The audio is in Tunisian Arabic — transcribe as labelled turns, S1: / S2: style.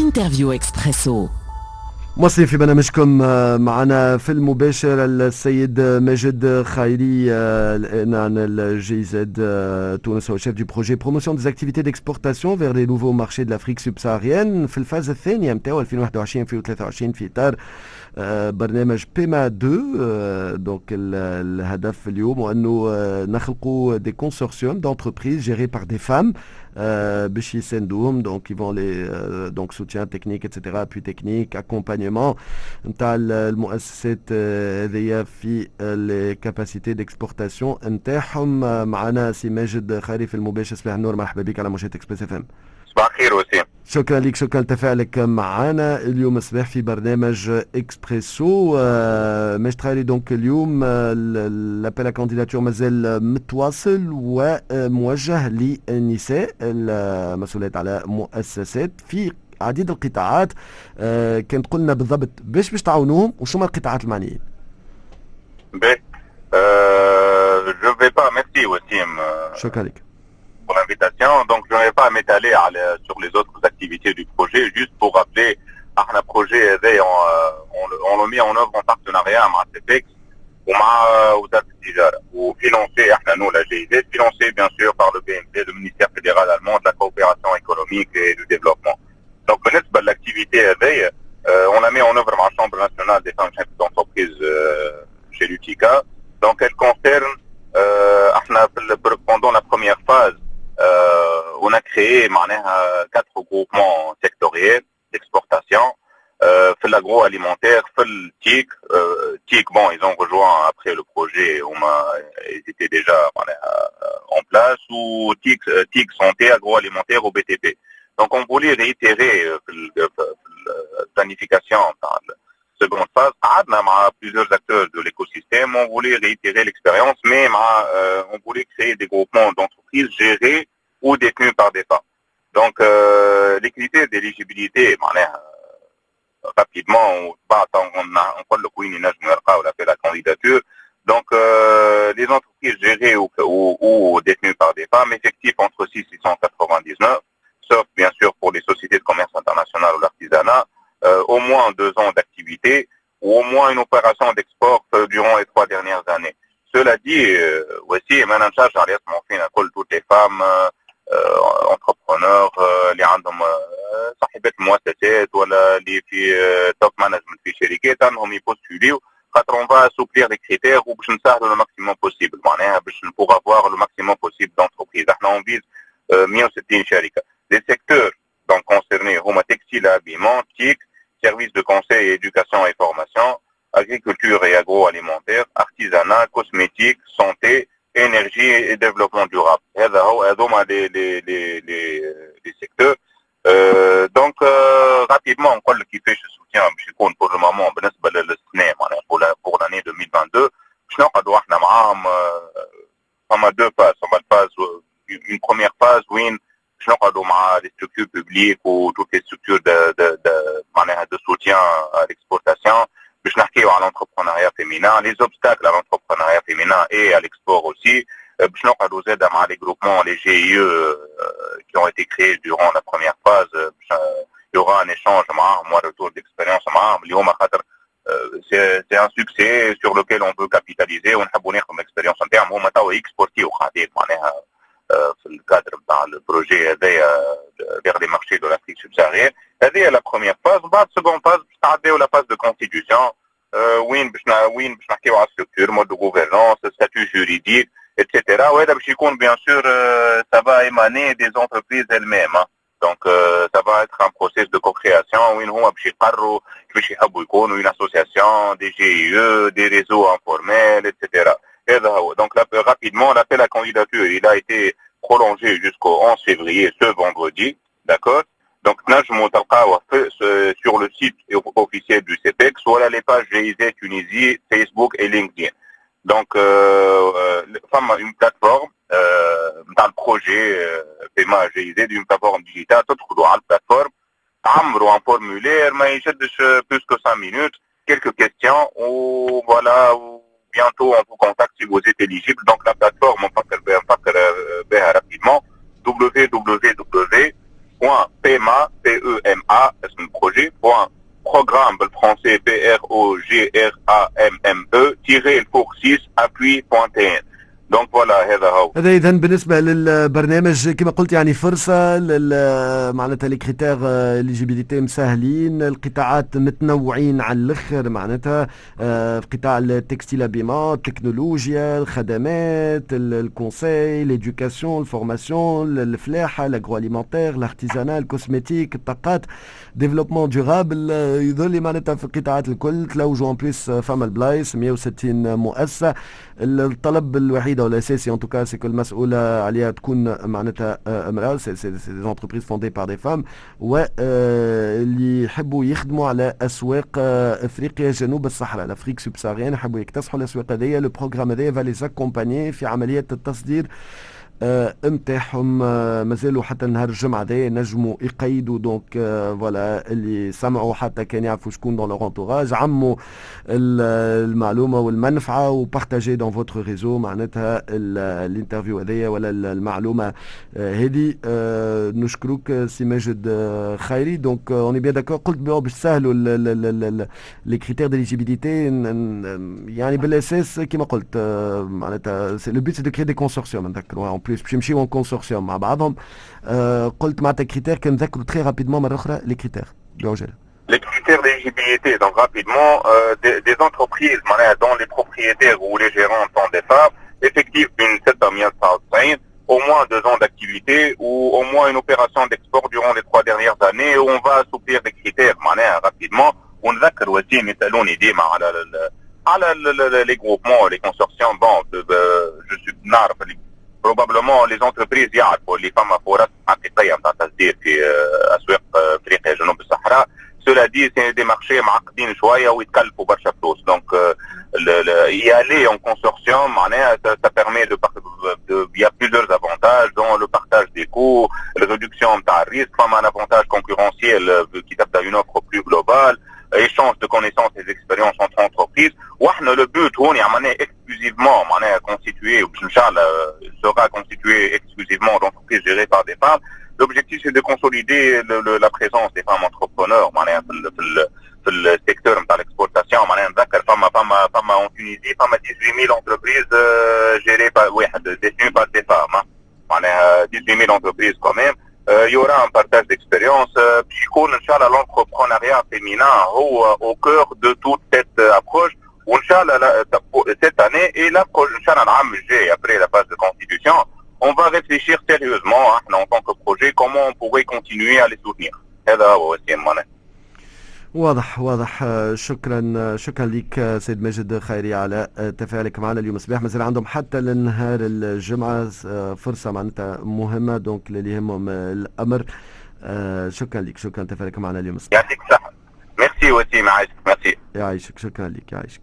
S1: Interview Expresso.
S2: مواصلين في برنامجكم، معنا في المباشر السيد ماجد خيري عن ال GIZ تونس، هو chef du projet promotion des activités d'exportation vers les nouveaux marchés de l'Afrique subsaharienne في ال phase الثانية نتاعو 2021 2023 في اطار برنامج PEMA 2. donc الهدف اليوم هو انه نخلقوا des consortiums d'entreprises gérées par des femmes باش يساندوهم، donc ils vont les donc soutien technique et cetera، appui technique، accompagnement نتاع المؤسسات هذيا في les capacités d'exportation نتاعهم. معنا سي ماجد خيري في المباشر. صباح النور، مرحبا بك على موجات Express FM.
S3: صباح الخير وسيم.
S2: شكرا لك، شكرا لتفاعلك معنا اليوم الصباح في برنامج اكسبريسو. ماجد خيري، donc اليوم l'appel à candidature مازال متواصل وموجه للنساء المسؤولات على مؤسسات في عديد القطاعات. كان قلنا بالضبط باش تعاونوهم وشو ما القطاعات المعنيين؟
S3: باهي، je vais pas، merci وسيم.
S2: شكرا لك.
S3: pour l'invitation. Donc, je ne vais pas m'étaler sur les autres activités du projet, juste pour rappeler, احنا projet هذا on le met en œuvre en partenariat مع CEPEX ومع وزارة التجارة و financé احنا nous la GIZ، financé bien sûr par le BMT، le ministère fédéral allemand de la coopération économique et du développement. Donc بالنسبة l'activité هذايا on la met en œuvre مع Chambre nationale des femmes chefs d'entreprise chez l'UTICA. Donc elle concerne احنا pendant la première phase on a créé معناها quatre groupements sectoriels d'exportation في l'agroalimentaire، في ال TIC، TIC bon ils ont rejoint après le projet، هما ils étaient déjà معناها en place، و TIC، TIC santé، agroalimentaire و BTP. Donc on voulait réitérer في ال planification تاع seconde phase. قعدنا مع plusieurs acteurs de l'écosystème، on voulait réitérer l'expérience mais مع on voulait créer des groupements d'entreprises gérés ou détenus par des femmes. Donc les critères d'éligibilité معناها rapidement بعد نقول لك وين ينجموا يلقاو l'appel à candidature. Donc les entreprises gérées ou détenues par des femmes, effectif entre 6 et 199, sauf bien sûr pour les sociétés de commerce international ou l'artisanat, au moins 2 ans d'activité ou au moins une opération d'export durant les 3 dernières années. Cela dit, aussi, ما ننساش على يسمعوا فينا كل toutes les femmes entrepreneurs اللي عندهم صاحبات مؤسسات ولا اللي في top management في شركات انهم يبوستوليو، خاطر on va assouplir les critères وباش نسهلوا le maximum possible معناها باش pour avoir le maximum possible d'entreprises. احنا on vise 160 شركه. Les secteurs donc concernés هما textile et habillement، TIC، services de conseil, éducation et formation، agriculture et agroalimentaire، artisanat، cosmétique، santé، énergie et développement durable. هذا هو، هذوما les secteurs. Donc rapidement نقول لك كيفاش ال soutien باش يكون pour le moment. بالنسبه للسنه معناها pour l'année 2022 باش نقعدوا احنا معاهم، فما deux phases. فما ال phase، une première phase وين باش نقعدوا مع les structures publiques و toutes les structures de معناها de soutien à l'exportation باش نحكيو على l'entrepreneuriat féminin، les obstacles à l'entrepreneuriat féminin et à l'export aussi. باش نقعدوا زاده مع les groupements، les GIE qui ont été créés durant la première phase. Il y aura un échange معاهم و retour d'expérience معاهم اللي هما خاطر c'est un succès sur lequel on veut capitaliser ونحبوا ناخذ l'expérience نتاعهم. هما توا يكسبورتيو قاعدين معناها في ال cadre نتاع ال projet هذايا vers les marchés de l'Afrique subsaharienne. هذه la première phase. بعد seconde phase باش تعديو la phase de constitution وين باش نحكيو على structure، mode de gouvernance، statut juridique et cetera. وهذا باش يكون bien sûr ça va émaner des entreprises elles-mêmes، donc ça va être un processus de co-création وين هما باش يقرروا كيفاش يحبوا يكونوا، une association، des GIE، des réseaux informels et cetera. هذا هو. donc rapidement، l'appel à candidature il a été prolongé jusqu'au 11 février، ce vendredi، d'accord؟ donc تنجموا تلقاوه sur le site officiel du CEPEX ولا les pages GIZ Tunisie، Facebook et LinkedIn. donc فما une plateforme نتاع ال projet PEMA GIZ، une plateforme digitale، تدخلوا على ال plateforme، تعمروا un formulaire ما يشدش plus que 5 minutes، quelques questions و voilà، bientôt on vous contacte si vous êtes éligible. Donc la plateforme، نفكر بها rapidement، www.pema.gov.tn. PEMA اسم projet point programme بالفرنسي PROGRAMME tiret الفوق 6 appui.tn. donc voilà، هذا هو.
S2: هذا اذا بالنسبة للبرنامج، كما قلت يعني فرصة معناتها les critères d'éligibilité مسهلين، القطاعات متنوعين على الاخر، معناتها في قطاع ال textile habillement، التكنولوجيا، الخدمات، ال conseil، l'éducation، ال formation، الفلاحه، l'agroalimentaire، l'artisanat، ال cosmétique، الطاقات، développement durable. يظل معناتها في القطاعات الكل تلوجوا، en plus فما البلايص، 160 مؤسسه. الطلب الوحيد او الاساسي en tout cas c'est que المسؤولة عليها تكون معناتها امراه، c'est des entreprises fondées par des femmes واللي يحبوا يخدموا على اسواق افريقيا جنوب الصحراء، l'Afrique subsaharienne، يحبوا يكتسحوا الاسواق هذيا. le programme هذايا va les accompagner في عملية التصدير نتاعهم. مازالوا حتى نهار الجمعة هذايا نجموا يقيدوا. donc voilà، اللي سمعوا حتى كان يعرفوا شكون dans leur entourage، عموا المعلومة والمنفعه و partagez dans votre réseau معناتها l'interview هذيا ولا المعلومة هذه. نشكرك سي ماجد خيري. donc on est bien d'accord، قلت باش تسهلوا les critères d'éligibilité، يعني بالاساس كما قلت معناتها le but c'est de créer des consortiums، نذكروا en plus باش يمشيو en consortium مع بعضهم. قلت معناتها critères، كان نذكروا très rapidement مرة اخرى les critères بعجاله.
S3: Les critères d'éligibilité, donc rapidement, des entreprises dont les propriétaires ou les gérants sont des femmes, effectif بين 799, au moins 2 ans d'activité ou au moins une opération d'export durant les 3 dernières années, où on va assouplir des critères معناها rapidement. ونذكر وسيم، يسالوني ديما على les groupements، les consortiums. bon، je suis نعرف probablement les entreprises يعرفوا اللي فما فرص حقيقية نتاع تصدير في اسواق افريقيا جنوب الصحراء. cela dit، c'est des marchés معقدين شوية ويتكلفوا برشا فلوس، donc y aller en consortium معناها ça permet de il y a plusieurs avantages dont le partage des coûts، la réduction نتاع ال risque، فما un avantage concurrentiel كي تبدا une offre plus globale، échange de connaissances et d'expériences entre entreprises. واحنا le but هوني عملناه exclusivement معناها constitué وباش ان شاء الله sera constitué exclusivement d'entreprises gérées par des femmes. l'objectif c'est de consolider la présence des femmes entrepreneurs معناها في ال secteur نتاع l'exportation. معناها نذكر فما en Tunisie فما 18 000 entreprises gérées par واحد détenues par des femmes، معناها 18 000 entreprises quand même. Il y aura un partage d'expérience باش يكون ان شاء الله l'entrepreneuriat féminin هو au cœur de toute cette approche. وان شاء الله cette année et la ان شاء الله العام الجاي après la phase de constitution، on va réfléchir sérieusement احنا en tant que projet comment on pourrait continuer à les soutenir. هذا هو وسيم معناها.
S2: واضح واضح، شكرا شكرا لك سيد ماجد خيري على تفاعلك معنا اليوم الصباح. مازال عندهم حتى لنهار الجمعة فرصة معناتها مهمة، donc اللي يهمهم الأمر. شكرا لك، شكرا تفاعلك معنا اليوم الصباح.
S3: يعطيك الصحة، ميرسي وسيم، عايشك، ميرسي.
S2: يعيشك، شكرا لك، يعيشك.